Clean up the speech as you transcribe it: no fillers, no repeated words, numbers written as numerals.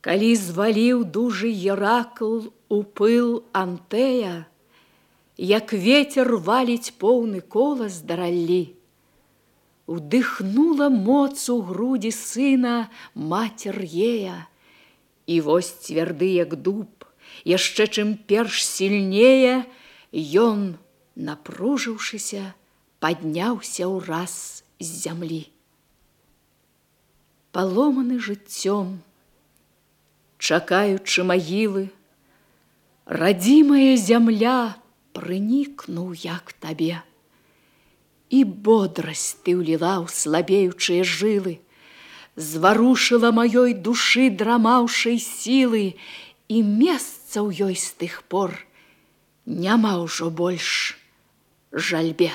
Калі зваліў дужы Геракл у пыл Антея, як ветер валіць поўны колас да раллі, удыхнула моц у грудзі сына мацер Гея, і вось цвярды, як дуб, яшчэ чым перш сільнее, ён, напружыўшыся, падняўся ўраз з зямлі. Паломаны жыццём, чакаючы магілы, радзімая зямля прынікнуў я к табе, і бодрасць ты ўліла ў слабеючыя жылы, зварушыла маёй душы драмаўшай сілы, і месца ў ёй з тых пор няма ўжо больш жальбе.